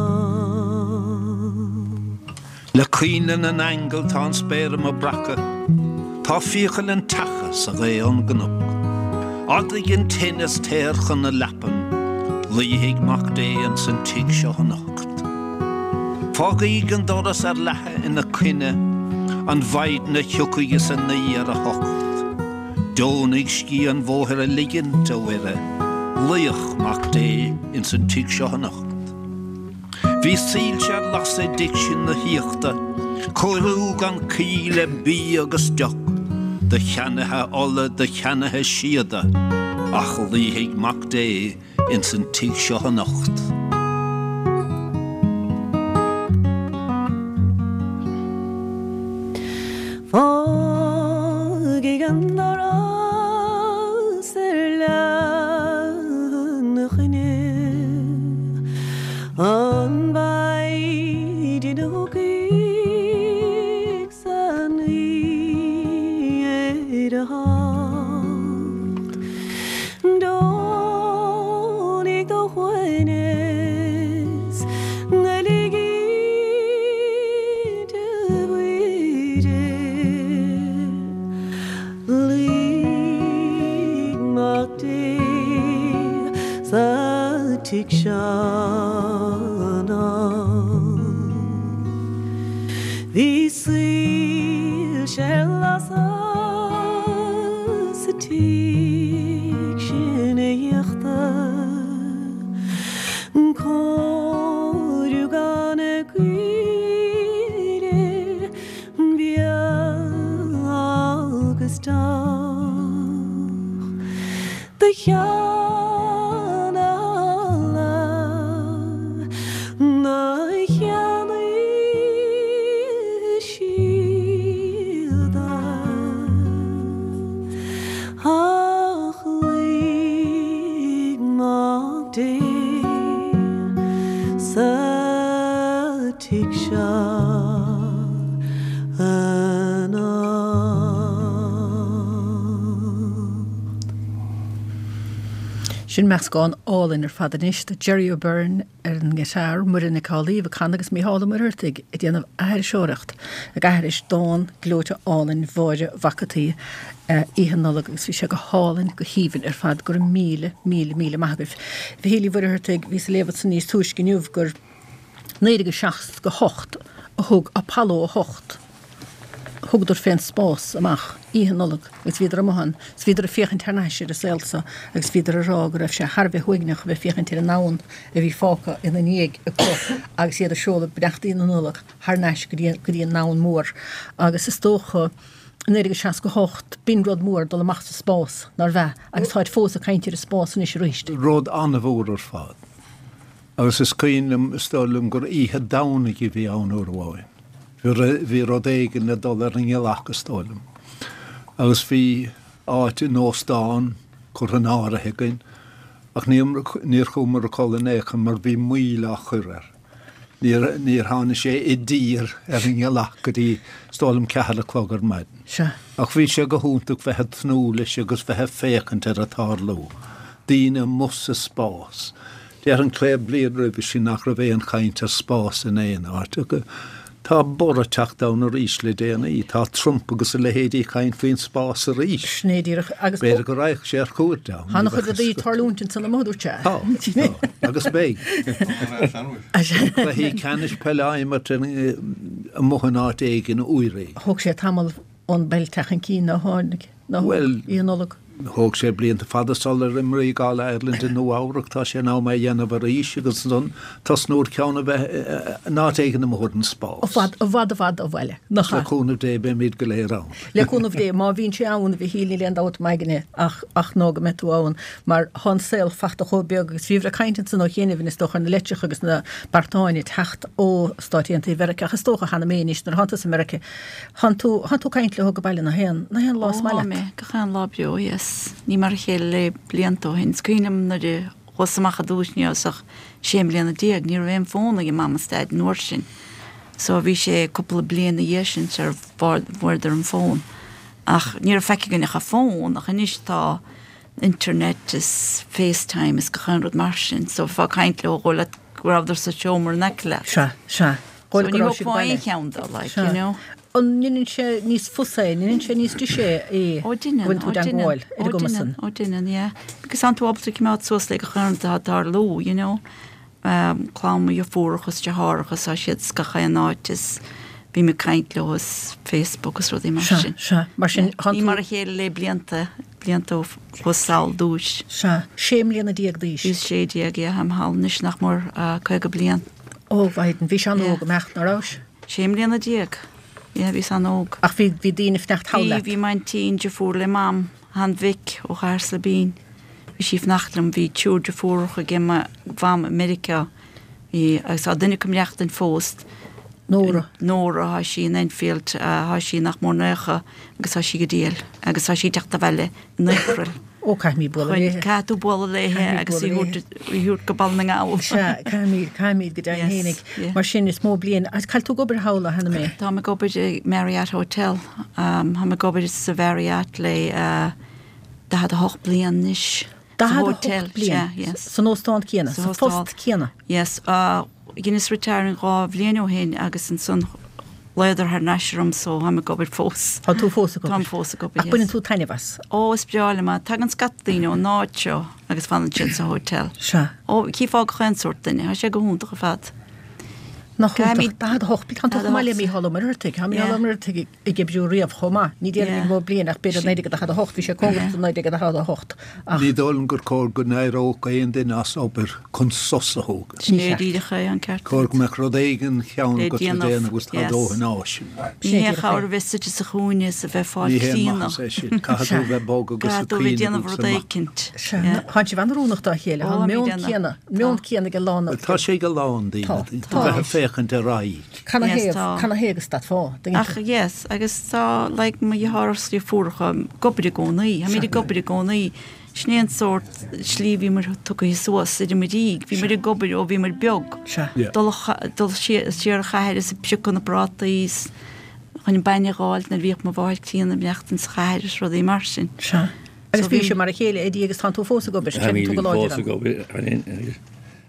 Le coinnle na n-aingeal tá an spéir i mo breacadh, tá fiacail an tseaca sa ghaoth ón gcnoc. Ardaigh an tine is téir chun na leapan, luífidh Mac Dé ins an tigh seo anocht. Fágaíg an doras ar leathadh ina coinne, an mhaidin a thiocfaidh is a naoi ar a hocht. Deonaigh scíth an bhóthair a ligint, a Mhuire, luíodh Mac Dé ins an tigh seo anocht. Bhí soilse ar lasadh i dtigh sin na haíochta, cóiriú gan caoi le bia agus deoch, do cheannaithe ola, do cheannaithe síoda, ach luífidh Mac Dé ins an tigh seo anocht. Fágfaidh an doras ar leath na choinne An mhaighdean a thiocfaidh san oíche ar a hocht Deonaigh do shuaimhneas ná lig di Mhuire Luigh Mac Dé sa tigh seo anocht. Bhí soilse ar lasadh sa tigh sin a íochtar Cóiriú gan a gcaoire bia agus deoch Do cheann alla ná cheannaigh siad Ach luigh Mac Dé sa tigh seo anocht. Sin meascán álainn ar fad anois de Jerry O'Byrne ar an ngiotár, Muireann Nic Amhlaoibh ag canadh agus Mícheál Ó Muircheartaigh ag déanamh aithriseoireacht ag aithris dán gleoite álainn Mháire Mhac an tSaoi Oíche Nollag agus bhí sé go hálainn go haoibhinn ar fad go raibh míle míle míle maith agaibh. Mhichíl Uí Mhuircheartaigh bhíos ag léamh ansan níos túisce inniu gur naoi déag seasca hocht a thug Apollo a hocht. Thugadar fén spás amach Oíche Nollag agus bhíodar amuigh ann, 's bhíodar ag féachaint thar n-ais ar an saol so agus bhíodar ag rá go raibh sé thar a bheith uaigneach a bheith féachaint ar an ndomhan a bhí fágtha ina ndiaidh acu agus iad ag seoladh beannachtaí na Nollag thar n-ais go dtí go dtí an domhan mór. Agus is dócha naoi déag seasca hocht b'in rud mór dul amach sa spás nárbh ea agus táid fós ag caint ar an spás anois arís. Rud an-mhór ar fad. Agus is cuimhin liom, is dóigh liom gur oíche Domhnaigh a bhí ann uair amháin. Bhí rud éigin le dul ar an ngealach is dóigh liom. Agus bhí áit in óstán curtha in áirithe againn, ach níor chuamar a chodladh in aon chor mar bhí moill á chur air. Níor, níor tháinig sé i dtír ar an ngealach go dtí, is dóigh liom, ceathair a chlog ar maidin. Sea. Ach bhí sé go hiontach bheith ag tnúth leis agus bheith ag féachaint ar an tarlú. Daoine amuigh sa spás. Déarfainn cúpla bliain roimhe sin nach raibh aon chaint ar spás in aon áit. Tá borradh ag teacht ann arís le déanaí. Tá Trump agus a leithéidí ag caint faoin spás arís. Sin é díreach. Agus B'fhéidir go raghadh sé ar cuairt ann. Tá an-chuid rudaí ag tarlúint ansan amuigh, dúirt sé. Tá, tá. Agus beidh. Cluichí ceannais peile á imirt amuigh in áit éigin uair éigin. Thóg sé tamall ón bpeil teacht chun cinn, nár tháinig, nár Bhuel, Oíche Nollag. Thóg sé blianta fada sular imríodh All Ireland i Nua Eabhrac, tá sé in am é a dhéanamh arís agus ansan tosnú ar cheann a bheith in áit éigin amuigh ar an spás. I bhfad, i bhfad, i bhfad ó bhaile. Nach Le ea? cúnamh Dé beimid go léir ann. Le cúnamh Dé, má bhíonn sé ann, a Mhichíl, níl aon dabht m'aigne ach, ach ná go mbeidh tú ann, mar tá an saol fachta chomh beag agus bhíobhair ag caint ansan ó chianaibh, is dócha, ar na leitreacha agus na beartáin ag teacht ó Stáit Aontaithe Mheiriceá ach is dócha cheana féin anois nuair atánn tú sa Meiriceá, Thánn tú, thánn tú ag caint leo ag baile nach aon, nach aon lá Ó is maith tá leat? mé, gach aon lá beo, yes. Ní mar a chéile le blianta ó shin. Is cuimhin liom nuair a chuas amach ar dtús, ní rabhas ach sé mbliana déag, ní raibh aon fón ag Mam is Daid an uair sin. So bhí sé cúpla bliain ina dhiaidh sin sar bhfuaireadar an fón. Ach ní raibh faic againn ach an fón, ach anois tá internet is FaceTime is gach aon rud mar sin. So bheifeá ag caint leo dhóigh leat go rabhadar sa seomra in aice leat. Sea, sea. So Dhóigh ní go raibh siad thógfá baile. aon cheann dó, like, Sea. you know. An ndeineann sé níos fusa é, ndeineann sé níos deise é Ó deineann, go bhfuil tú ó i deineann, dteangmháil ar ó an gcuma deineann, san? ó deineann, yeah. Because tánn tú ábalta coimeád suas le gach aon rud atá ag tarlú, you know. Um, clann mo dheirfiúracha is deartháireacha, tá siad is gach aon áit is bím ag caint leo is Facebook is rudaí mar Sea, sin. sea. Mar sin, Yeah. thánn Ní tú- mar a chéile le blianta, blianta ó chuas sall dtús. Sea, sé mbliana déag d'aois. Bhíos sé déag, yeah, táim thall anois nach mór, uh, caoga bliain. Ó, mhaighdean, bhís an-óg Yeah. an mbeadh, ná rabhais? Sé mbliana déag. Yeah, bhíos an-óg. Ach bhí, bhí daoine ag fanacht thall Bhí, leat. bhí m'aintín, deirfiúr le Mam, Han Mhic ó Chathair Slibín. Bhí sí ag fanacht liom, bhí triúr deirfiúracha ag mo mham i Meiriceá, bhí, agus tá duine acu ag maireachtaint fós. Nóra. Nóra, tá sí in Enfield, tá sí nach mór naocha agus tá sí go diail agus tá sí ag teacht abhaile in April. Ó, caithfimid bualadh léithe. Caithfidh tú bualadh léithe agus í thabhairt go Baile na nGall. Sea, caithfimid, caithfimid go deimhin fhéinig. Mar sin is mó bliain. Agus cá bhfuil tú ag obair thall, a Hannah May? Táim ag obair i Marriott Hotel. Táim ag obair sa Mharriott le daichead a hocht bliain anois. Daichead a hocht bliain? San óstán céanna? Sa phost céanna? Yes. Dheineas retiring dhá bhliain ó shin agus ansan ghlaodar thar n-ais orm so táim ag obair fós. Tá tú fós ag obair? Táim fós ag obair, yes. Ach baineann tú taitneamh as? Ó, is breá liom é. Tagann scata daoine ón áit seo agus fanann siad sa hotel. Sea. Ó, chífeá gach aon sórt duine. Tá sé go hiontach ar fad. Nach iontach, daichead a hocht, tá tú chomh maith le Mícheál Ó Muircheartaigh, tá Mícheál Ó Muircheartaigh ag oibriú riamh chomh maith, ní déarfainn gur mó bliain ach b'fhéidir naoi déag daichead a hocht, bhí sé cóngarach do naoi déag daichead a hocht ach. Ní dóigh liom gur cóir go n-éireodh aon duine as obair chun sos a thógaint. Sin é díreach é, an ceart. Cóir go mbeadh rud éigin cheann agat le déanamh agus tá dóthain áiseanna. Ní haon chabhair a bheith suite sa chúinne is a bheith ag fáil Ní haon críonna. maitheas é sin, caithfidh tú a bheith bog agus Caithfidh ag tú a bheith cuimhneamh déanamh agus rud amach. éicint. Sea, tá sibh an-oiriúnach dá chéile, tá an meon céanna, meon céanna ag a lán. Tá sé ag a lán daoine, Tá. bheith ag féachaint ar aghaidh. Can a Yes, thaobh, tá. can a thaobh go stadfá? Ach yes, agus tá like mo dheartháir is deirfiúracha ag obair i gcónaí, táimid ag obair i gcónaí. Sin é an sórt slí a bhí muid tugtha suas idir muid déag, bhí muid ag obair ó bhí muid beag. Sea. Yeah. Dul a- dul siar siar an chathair is ag piocadh na bprátaí is chun an bainne a dh'fháil nuair a bhíodh mo mháthair críonna ag maireachtaint sa chathair is rudaí mar sin. Sea. Agus So bhí bhí- sibh mar a chéile, Eddie, agus tánn tú fós ag obair, creideann tú go láidir Fós ann. ag obair, agus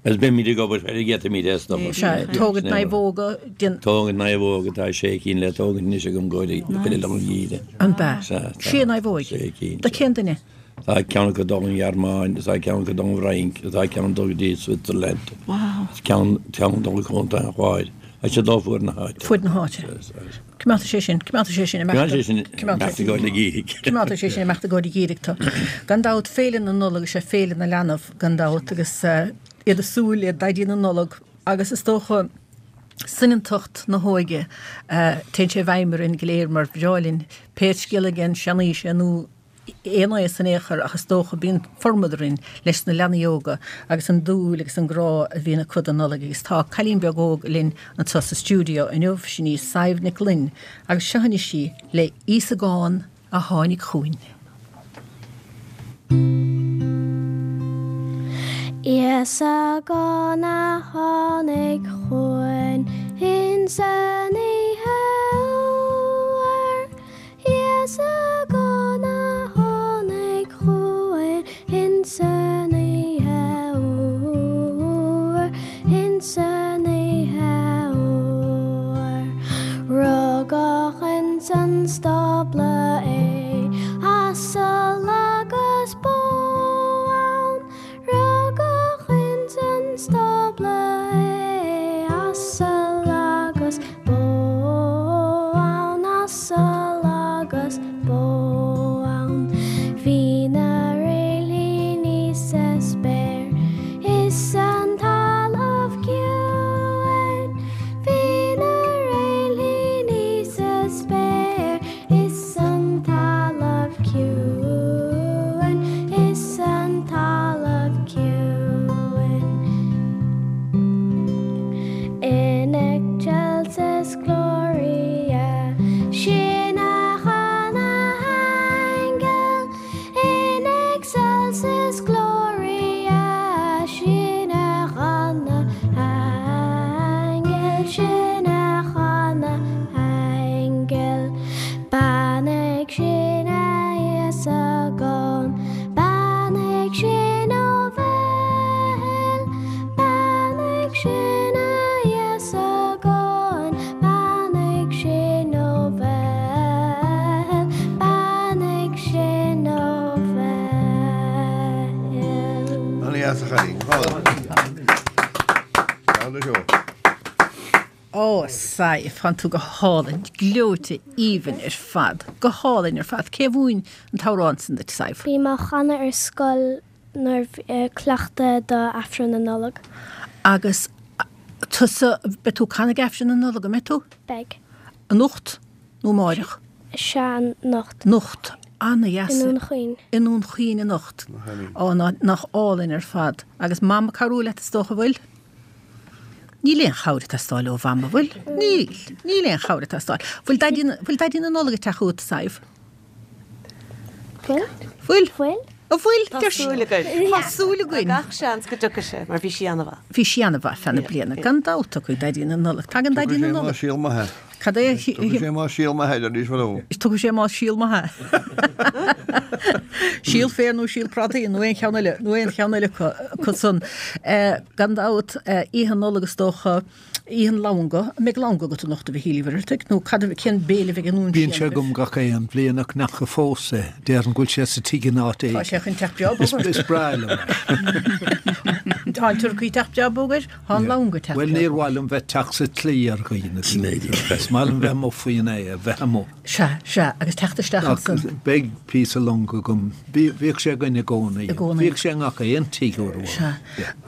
Agus beimid ag obair ar a gcéadfaimid as an obair. Sea, tógaint naomhóga, déan. Tógaint naomhóga, tá sé cinn le tógaint anois agam go dtí chuile lá an gheimhridh. An bea? Sea, tá. Sé naomhóig? Sé cinn. Do cén duine? Tá ceann acu dul an Ghearmáin, tá ceann acu dul an Fhrainc, tá ceann dul go dtí Switzerland. Wow. Ceann ceann dul go Contae an Chláir. Tá siad dul fuaid na háite. Fuaid na háite. Coimeádfaidh sé sin, coimeádfaidh sé sin Coimeádfaidh sé sin imeacht i gcomhair na geimhridh. Coimeádfaidh sé sin imeacht i gcomhair an gheimhridh. Tá gan dabht féile na Nollag is ea féile na leanbh gan dabht agus iad ag súil le Daidí na Nollag agus is dócha soineantacht na hóige téann sé i bhfeidhm orainn go léir mar bhreá linn pé scéal é an seanaois é nó aon aois in aon chor ach is dócha bíonn formad orainn leis na leanaí óga agus an dúil agus an grá a bhíonn acu don Nollaig agus tá cailín beag óg linn anseo sa stiúideo inniu, sin í Sadhbh Nic Fhloinn agus seo anois í le Íosagán a tháinig chugainn. Íosagán a tháinig chugainn insan oíche fhuar, Íosagán a tháinig chugainn insan oíche fhuar, insan oíche fhuar. Rugadh insan stábla é, asal agus bó ann. Rugadh insan stábla é, asal agus bó ann, asal agus bó ann. Bhí na réiltíní sa spéir is an talamh ciúin. Bhí na réiltíní sa spéir is an talamh ciúin, is an talamh ciúin. In excelsis gloria, sin a chan na haingil. In excelsis gloria, sin a chan na haingil, sin a chan na haingil. Beannaigh sinn a Íosagán, beannaigh sinn ó Bheithil, beannaigh sinn a Íosagán, beannaigh sinn ó Bheithil, beannaigh sinn ó Bheithil. Ana-dheas a chailín. Ceann seo. Ó, Sadhbh, tánn tú go hálainn, gleoite aoibhinn ar fad, go hálainn ar fad. Cé a mhúin an t-amhrán sin duit, Sadhbh? Bhí mé á chanadh ar scoil nuair a cleachtadh do Aifreann na Nollag. Agus tusa, beidh tú ag canadh ag Aifreann na Nollag, an mbeidh tú? Beidh. Anocht nó amáireach? Sea, anocht. Anocht. Ana-dheas. I nDún Chaoin. I nDún Chaoin anocht. Ó, nach álainn ar fad. Agus Mam ag cabhrú leat is dócha, bhfuil? Níl aon chabhair ag teastáil ó Mham, an bhfuil? Níl. Níl aon chabhair ag teastáil. Bhfuil Daidí, bhfuil Daidí na Nollag ag teacht chugat, Sadhbh? Bhfuil. Bhfuil? Bhfuil. An bhfuil? Tá súil againn. Tá súil againn. Tá gach seans go dtiocfaidh sé, mar bhí sí ana-mhaith. Bhí sí ana-mhaith feadh na bliana. Gan dabht tiocfaidh Daidí na Nollag. Tagann Daidí na Nollag. Tugadh sé má síol maith. Cad é? Tugadh sé má síol maith arís fadó. Tugadh sé má síol maith. Síol féir nó síol prátaí nó aon cheann eile, nó aon cheann eile acu san. Gan dabht, Oíche Nollag is dócha. Oíche an longa, an mbeidh longa agat anocht a Mhichíl Uí Mhuircheartaigh, nó cad a, cén béile a bheidh i nDún Bíonn Síon sé agam gach aon bhliain ach n'fheaca fós é. Déarfainn go bhfuil sé sa tigh in áit Tá éigin. sé chun teacht breá Is, bog ort. is breá liom é. Tá an turcaí teacht breá bog air, tá an longa teacht Bhuel breá níor bog. mhaith liom bheith teacht sa tslí ar dhaoine. Is maith liom bheith amuigh faoin aer, bheith amuigh. Sea, sea, agus teacht isteach Ach ansan. beidh píosa longa agam. Bhí, bhíodh sé againn i gcónaí. I gcónaí. Bhíodh sé i ngach aon tigh uair amháin. Sea.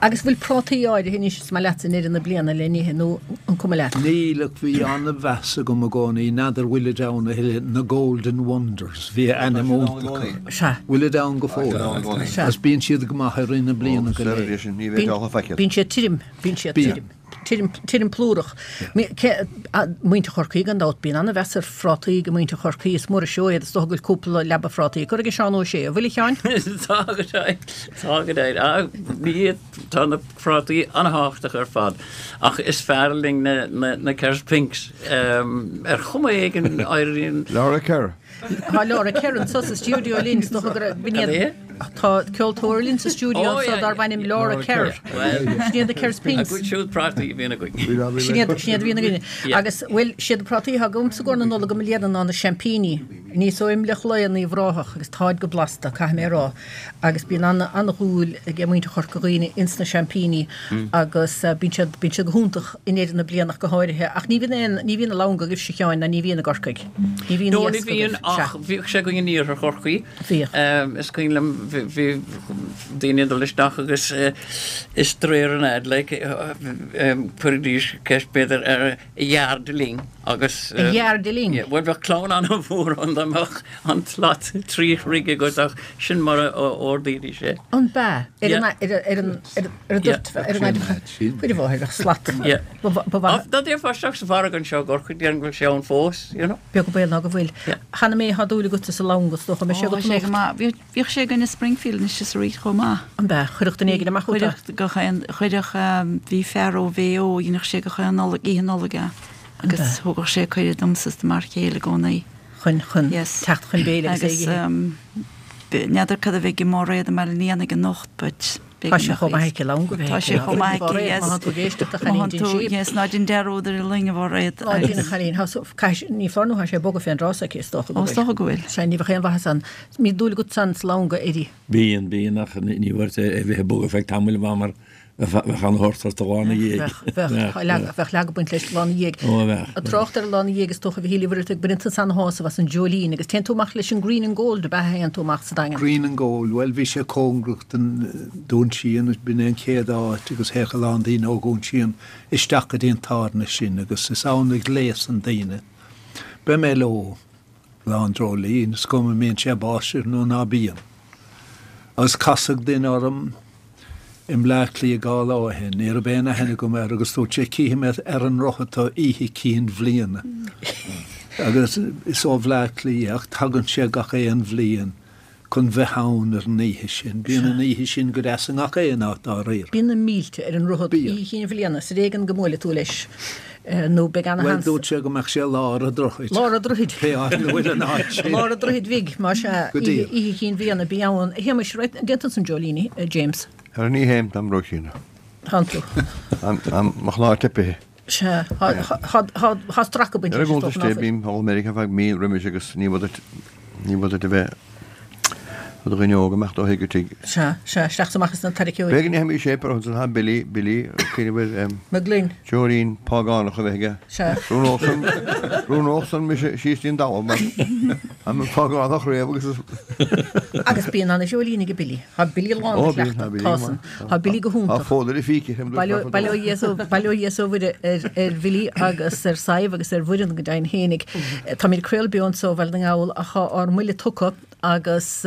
Agus bhfuil prátaí áirithe anois is maith leatsa i ndeireadh na bliana le n-ithe nó an cuma leat? Níl ach bhí an-mheas agam i gcónaí, n'fheadar bhfuilid ann a thuilleadh, na Golden Wonders, bhí ainm iontach orthu. Sea. Bhfuilid ann go fóill? Sea. Agus bíonn siad go maith i rith na bliana go léir. Bíonn siad tirim, bíonn siad tirim. Tirim, tirim plúrach. Muintir Chorcaí gan dabht, bíonn an-mheas ar phrátaí ag muintir Chorcaí, is mór an seó iad, is dócha go bhfuil cúpla leaba phrátaí curtha ag Seán Ó Sé, an bhfuil a Sheáin? Tá go deimhin, tá go deimhin. Á, ní, tá na prátaí an-thábhachtach ar fad, ach is fearr linn na, na, na Kerr's Pinks. Ar chuma éigin éiríonn. Laura Kerr. Tá Laura Kerr anso sa stiúideo linn, is dócha go raibh, b'in iad, tá ceoltóir linn sa stiúideo anso darb ainm Laura Kerr. Sin iad na Kerr's Pinks. A gcuid siúd prátaí a bhíonn againn. Sin iad, sin iad a bhíonn againn. Agus, bhuel, siad na prátaí atá agamsa i gcomhair na Nollag i mbliana ná na seaimpíní. Aníos ó Imleach Laoi in Uíbh Ráthach agus táid go blasta, caithfidh mé a rá. Agus bíonn an-dhúil ag muintir Chorca Dhuibhne ins na seaimpíní agus bíonn siad, bíonn siad go hiontach i ndeireadh na bliana ach go háirithe. Ach ní bhíonn aon, ní bhíonn an longa agaibhse a Sheáin ná ní bhíonn i gCorcaigh. Ní bhíonn No, ní iasc bhíonn agaibh. ach bhíodh sé againn in iarthar Chorcaí. Bhíodh. Is cuimhin liom bhí, bhí daoine ag dul isteach agus is de réir an fhad like chuiridís ceist b'fhéidir ar a dheardaling agus A dheardaling? Bhuel bheadh clann an-mhór ann dá mbeadh an tslat trí throigh agat ach sin mar a ordaídís é. An b'ea? Ar an, ar an, ar an dtoirt, ar an, chuir a mháthair, bheadh slat. Ba mhaith. Dá dtéifeá isteach sa mhargadh anseo i gCorcaigh, déarfainn go bhfuil sé ann fós, you know. Beag an baol ná go bhfuil. Hannah May, tá dúil agatsa sa longa, is dócha, an mbeidh sé agat Ó, sé go anocht? maith. Bhíodh sé againn i Springfield anois is arís chomh maith. An b'ea? Chuirfeadh duine éigin amach chugat é? Chuirfeadh gach aon, chuirfeadh, bhí fear ó Mhaigh Eo, dheineadh sé gach aon Nollaig, oíche Nollag é agus thugadh sé cuireadh domsa is do m'fhear céile i gcónaí. Chun, chun teacht chun béile agus é a Agus ithe. n'fheadar cad a bheidh i Máiréad i mBaile an Éanaigh anocht but Tá sé chomh maith aici longa bheith Tá sé chomh maith aici, yes. Má tá tú ag éisteacht a chailín dein sí. Yes, ná dein dearúd ar an loing a Mháiréad. Ná dein a chailín, tá so, caithfidh, ní foláir nó tá sé ag bogadh fén dtráth s'aici is dócha go Ó, is bhfuil. dócha go bhfuil. Sea, ní bheadh aon mhaitheas ann. Mbíonn dúil agat san sa longa Eddie. Bíonn, bíonn ach ní bheadh é bheith ag bogadh feadh tamaill mar bheadh an-thort ort an lá ina dhiaidh. Bheadh, bheadh, bheadh leagadh ag baint leis an lá ina dhiaidh. Ó, bheadh. Ag trácht ar an lá ina dhiaidh is dócha a Mhichíl Uí Mhuircheartaigh, baineann tusa ana-shásamh as an Dreoilín agus téann tú amach leis an Green and Gold ab ea a théann tú amach sa Daingean? Green and Gold, bhuel bhí sé cóngarach don Dún Síon, b'in é an chéad áit agus théadh a lán daoine ó Dhún Síon isteach go dtí an tábhairne sin agus is ann a ghléasann daoine. Beidh mé leo Lá an Dreoilín, is cuma an mbíonn sé ag báisteach nó ná bíonn. Agus casadh duine orm i mBleá Cliath dhá lá ó shin, ní raibh aon aithne agam air agus dúirt sé cífidh mé ar an ndroichead tú oíche cinn bhliana. Agus is ó Bhleá Cliath ach tagann sé gach aon bhliain chun bheith ann ar an oíche sin. Bíonn an oíche sin go deas i ngach aon áit dáiríre. Bíonn na mílte ar an ndroichead oíche chinn bhliana, is ar éigean go mbuailfidh tú leis nó beidh Bhuel, ana-sheans. dúirt sé go mbeadh sé lár an droichid. Lár an droichid. Pé áit ina bhfuil an áit sin. Lár an droichid bhig, más ea, Go díreach. oíche chinn bhliana, bí ann. A Shéamais, an dtéann tusa an Dreoilín, a James? Ara ní théim, táim róchiana. Tánn tú. Tá mo chlár teipithe. Sea, tá stracadh ag baint Ar an leis, is gcuntas dócha, ná de, fuil. bím ag dul Meiriceá feadh mí roimis agus ní bhfuil duit, ní bhfuil duit a bheith i do dhuine óg amach ó thigh go tigh. Sea, sea, isteach is amach as na tarraiceoirí. B'fhéidir go ndéanfaimís é, pero ansan tá Billy, Billy, cén bhfuil, em, Mac Gloinn. Teoirín págánach a bheith aige. Sea. Rúnódh san, rúnódh san mise síos dtí'n dtalamh mar An fágáil nach raibh agus Agus bíonn ana dreoilín ag Billy. Tá Billy lán Ó, de bíonn, chleachtadh, tá Billy tá go san. maith. Tá Billy go Tá hiontach. fód ar a phíce. Bail ó Dhia is ó Mhuire ar ar Bhilly agus ar Sadhbh agus ar Mhuireann go deimhin fhéinig. Táimid ag craoladh beo anseo ó Bhaile na nGall ach tá ár mbuille tugtha agus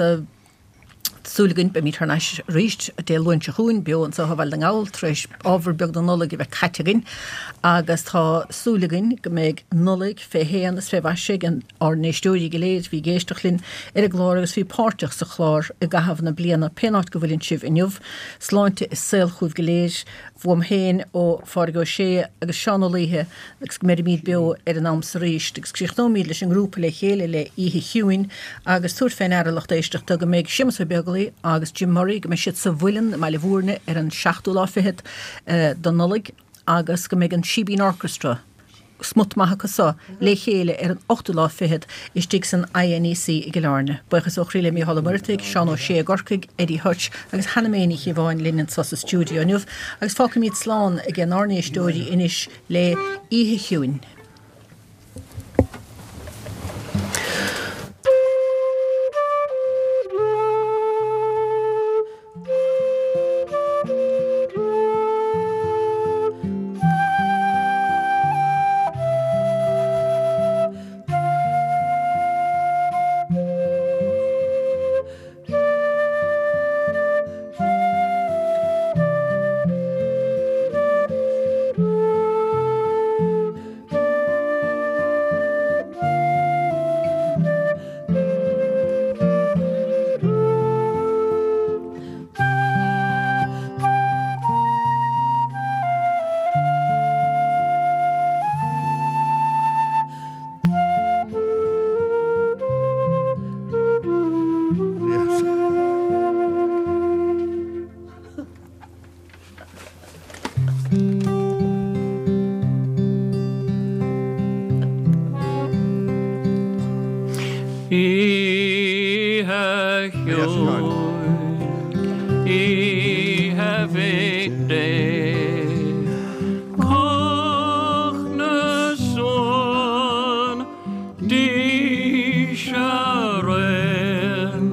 súil againn beimid thar n-ais arís Dé Luain seo chugainn beo anseo ó Bhaile na nGall tar éis ábhar beag den Nollaig a bheith caite againn agus tá súil againn go mbeidh Nollaig fé shéan is fé mhaise ag ár n-éisteoirí go léir bhí ag éisteacht linn ar an gclár agus bhí páirteach sa chlár i gcaitheamh na bliana pén áit go bhfuileann sibh inniu, sláinte is saol chugaibh go léir, uaim féin ó Phádraig Ó Sé agus Seán Ó Laoithe agus go mbeirimid beo ar an am so arís agus críochnóimid leis an ngrúpa le chéile le Oíche Chiúin agus tabhair fé ndeara lucht éisteachta go mbeidh Séamus Ó Beaglaoi agus Jim Murray go mbeidh siad sa Mhuileann i mBaile Bhúirne ar an seachtú lá fichead den Nollaig agus go mbeidh an Síbín Orchestra smut maith acu so le chéile ar an ochtú lá fichead istigh san INEC i gCill Airne. Buíochas ó chroí le Mícheál Ó Muircheartaigh, Seán Ó Sé i gCorcaigh, Eddie Hutch agus Hannah May Ní Chíobháin linn anseo sa stiúideo inniu agus fágfaimid slán ag ár n-éisteoirí anois le Oíche Chiúin. Oíche chiúin, Oíche Mhic Dé, Cách na suan, Dís araon,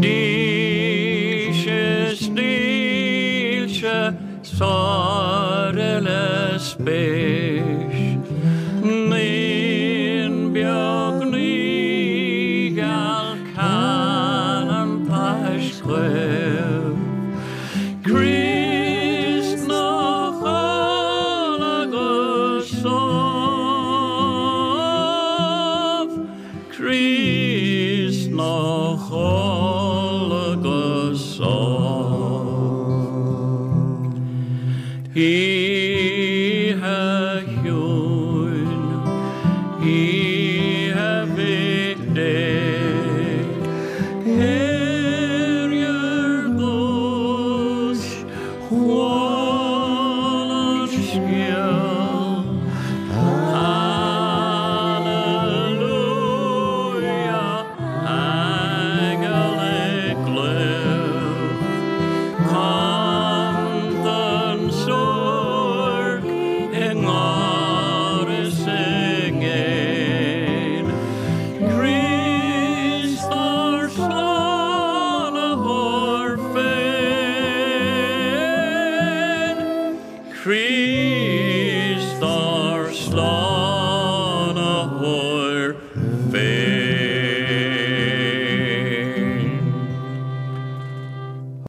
Dís is dílse, sár uile spéis, Naíon beag naoigheal ceann an Phaisc Dhuibh. Críost 'na chodladh go sámh, Críost 'na chodladh go sámh. Oíche chiúin, Oíche Mhic Dé, Hear your goose, chuala an scéal. Hallelujah, aingeal ag glaoch.